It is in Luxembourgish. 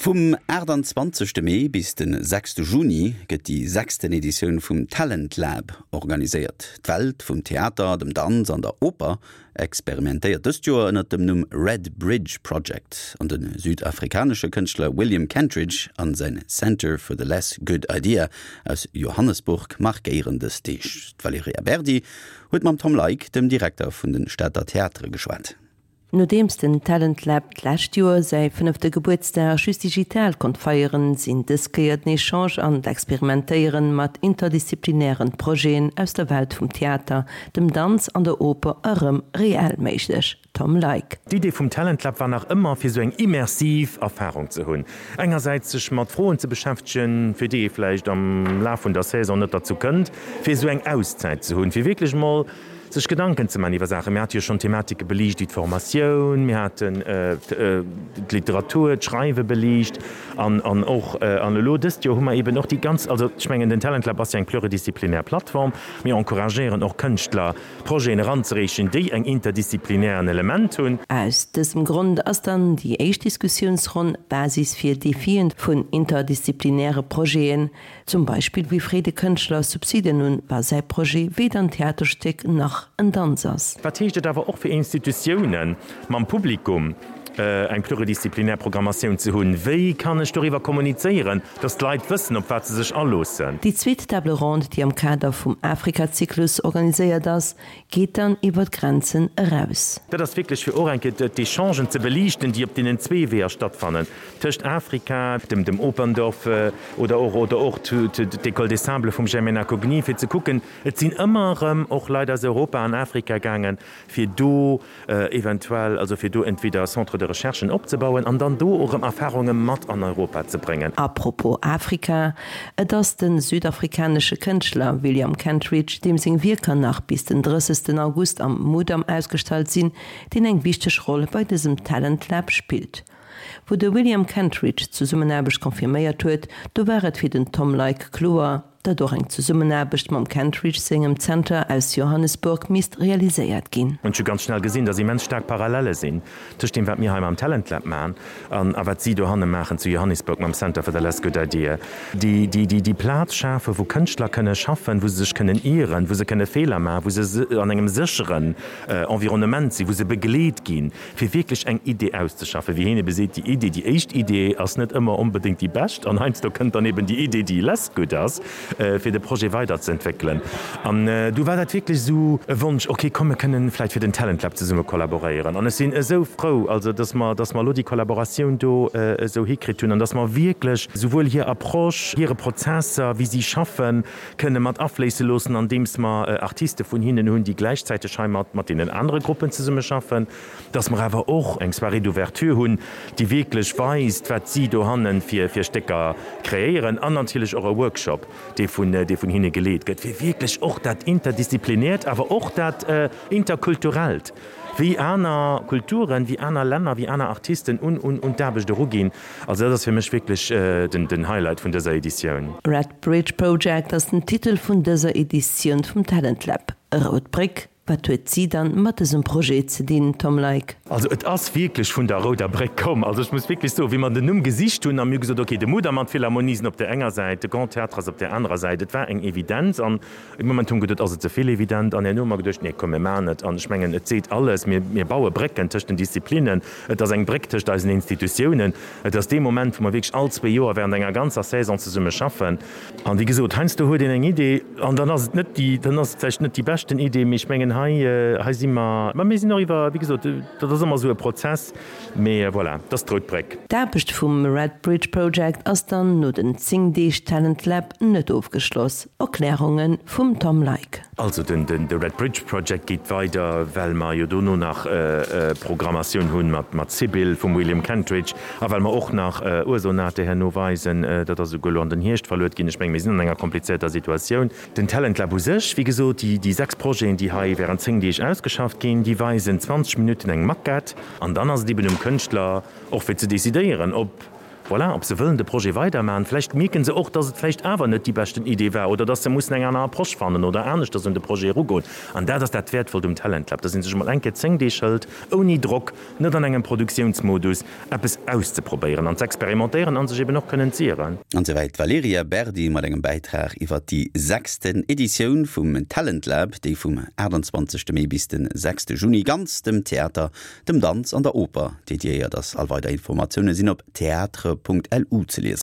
Vum 28 Mee bis de 6 Juni gëtt déi sechsten Editioun vum Talent Lab organiséiert. D'Welt vum Theater, dem Danz an der Oper experimentéiert dëst Joer ënnert dem Numm Red Bridge Project an de südafrikanesche Kënschtler William Kentridge an säin Center for the Less Good Idea aus Johannesburg markéieren dës Deeg. D'Valerija Berdi huet mam Tom Leick, dem Direkter vun de Stater Theatere geschwat. Nodeems den Talent Lab d'lescht Joer säi fënnefte Gebuertsdag just digital konnt feieren, sinn dës Kéier den Echange an d'Experimentéieren mat interdisziplinären Projeten aus der Welt vum Theater, dem Danz an der Oper erëm reell méiglech. Tom Leick. D'Idee vum Talent Lab war nach ëmmer, fir sou eng immersiv Erfarung ze hunn. Engersäits sech mat Froen ze beschäftegen, fir déi ee vläicht am Laf vun der Saison net derzou kënnt, fir esou eng Auszäit ze hunn, fir wierklech mol sech Gedanken ze man iwwer Saachen. Mir hate jo schonn Thematike beliicht wéi d'Formatioun, mir haten d'Literatur, d'Schreiwe beliicht an an och an elo dëst Joer hu mer eeben och déi ganz, also ech mengen den Talent Lab ass jo eng pluridisziplinär Plattform, mir encouragéieren och Kënschtler Projeten eranzereechen, déi eng interdisziplinären Element hunn. Aus dësem Grond ass dann déi éischt Diskussiounsronn Basis fir Defien vun interdisziplinäre Projeten, Zum Beispill, wéi freet e Kënschtler Subsiden un, wa säi Projet weder en Theaterstéck nach en Danz ass? Wat heescht et awer och fir Institutiounen, mam Publikum eng pluridisziplinär Programmatioun ze hunn? Wéi kann ech doriwwer kommunizéieren, dass d'Leit wëssen, op wat se sech aloossen? Déi zweet Table ronde, déi am Kader vum Afrika-Zyklus organiséiert ass, geet dann iwwer d'Grenzen eraus. Dat ass wierklech fir och eng Kéier d'Echangen ze beliichten, déi op deenen zwee Weeër stattfannen, tëscht Afrika, dem dem Operndorf oder och oder och d'École des Sables vum Germaine Acogny, fir ze kucken, et sinn ëmmer erëm och Leit aus Europa an Afrika gaangen, fir do eventuell, also fir do entweder Centres de recherchen opzebauen an dann do och erëm Erfahrunge mat an Europa ze bréngen. A propos Afrika, Et ass de südafrikanesche Kënschtler William Kentridge, deem seng Wierker nach bis den 30 August am Mudam ausgestallt sinn, deen eng wichteg Roll bei dësem Talent Lab spillt. Wou de William Kentridge d'Zesummenaarbecht confirméiert huet, do war et fir den Tom Leick kloer, datt och eng Zesummenaarbecht mam Kentridge sengem Zenter aus Johannesburg misst realiséiert ginn. Ech hu ganz schnell gesinn, datt immens staark Parallele sinn tëscht deem, wat mir hei mam Talent Lab maachen an a wat si dohanne maachen zu Johannesburg mam Center for the Less Good Idea. Déi, déi, déi, déi Plaz schafen, wou Kënschtler kënne schaffen, wou se sech kënnen ieren, wou se kënne Feeler maachen, wou se an engem sécheren Environnement sinn, wou se begleet ginn, fir wierklech eng Idee auszeschaffen, wéi hien ebe seet, déi Idee, déi éischt Idee ass net ëmmer onbedéngt déi bescht an heiansdo kënnt dann eben déi Idee, déi less good ass, fir de Projet weiderzeentwéckelen. An du war dat wierklech esou e Wonsch, ok, komm mir kënnen vläicht fir den Talent Lab zesumme kollaboréieren. An ech sinn esou frou, also dass mer, dass mer elo déi Kollaboratioun do esou hikritt hunn an dass mer wierklech souwuel hir Approche, hire Prozesser, wéi si schaffen, kënne mat afléisse loossen, andeems mer Artiste vun hinnen hunn, déi gläichzäiteg hei mat mat deenen anere Gruppen zesummeschaffen, dass mer awer och eng Soirée d'ouverture hunn, déi wierklech weist, wat si dohanne fir fir Stécker kreéieren, an natierlech och e Workshop, dee vun dee vun hinne geleet gëtt, fir wierklech och dat Interdisziplinäert, awer och dat Interkulturellt, wéi aner Kulturen, wéi aner Länner, wéi aner Artisten un un un d'Aarbecht eruginn. Also dat ass fir mech wierklech den den Highlight vun dëser Editioun. Red Bridge Project ass den Titel vun dëser Editioun vum Talent Lab. Rout Bréck, wat huet si dann mat dësem Projet ze dinn, Tom Leick? Also et ass wierklech vun der Rouder Bréck komm. Also ech muss wierklech soen, wéi mer den Numm gesicht hunn a mir hu gesot, okay, de Mudam an d'Philharmonie sinn op där enger Säit, de Grand Théâtre ass op där anerer Säit. Et war eng Evidenz an E Moment hu mer geduet, ass et ze vill evident? An herno hu mer geduecht, nee, komm, mir maachen et. An ech mengen, et seet alles, mir, mir baue Brécken tëscht den Disziplinen, et ass eng Bréck tëscht eisen Institutiounen, et ass dee Moment, wou mer wierklech all zwee Joer während enger ganzer Saison zesumme schaffen. An wéi gesot, heiansdo huet een eng Idee an dann ass et net déi, dann ass et vläicht net déi beschten Idee, mee ech mengen, hei, hei si mer, mä mir sinn och iwwer, wéi gesot, dat ass ëmmer esou e Prozess, mee voilà, et ass d'Rout Bréck. D'Aarbecht vum Red Bridge Project ass dann no den 10 Deeg Talent Lab net ofgeschloss. Erklärunge vum Tom Leick. Also den de Red Bridge Project geet weider, well mer jo dono nach Programmatioun hunn mat Sybil vum William Kentridge a well mer och nach Ursonate herno weisen. Dat ass esouguer elo an den Hierscht verluet ginn. Ech menge mir sinn an enger komplizierter Situatioun. Den Talent Lab u sech, wéi gesot, déi 6 Projeten, déi hei während 10 Deeg ausgeschafft ginn, déi weisen 20 Minutten eng Maquette an dann ass et eben um Kënschtler och fir ze decidéieren, ob. Voilà, ob se wëllen de Projet weidermachen. Vläicht mierken se och, dass et vläicht awer net déi beschten Idee war oder dass se mussen eng aner Approche fannen oder aneschters un de Projet erugoen. An dat ass dat Wäertvollt um Talent Lab, dass ee sech emol eng Kéier 10 Deeg hëlt, ouni Drock, net an engem Produktiounsmodus, eppes auszeprobéieren an z'experimentéieren an sech eben och kënnen z'ieren. An souwäit d'Valerija Berdi mat engem Bäitrag iwwer déi sechsten Editioun vum Talent Lab, déi vum 28 Mee bis de 6 Juni ganz dem Theater, dem Danz an der Oper dediéiert ass. All weider Informatioune sinn op theatre.lu ze liesen.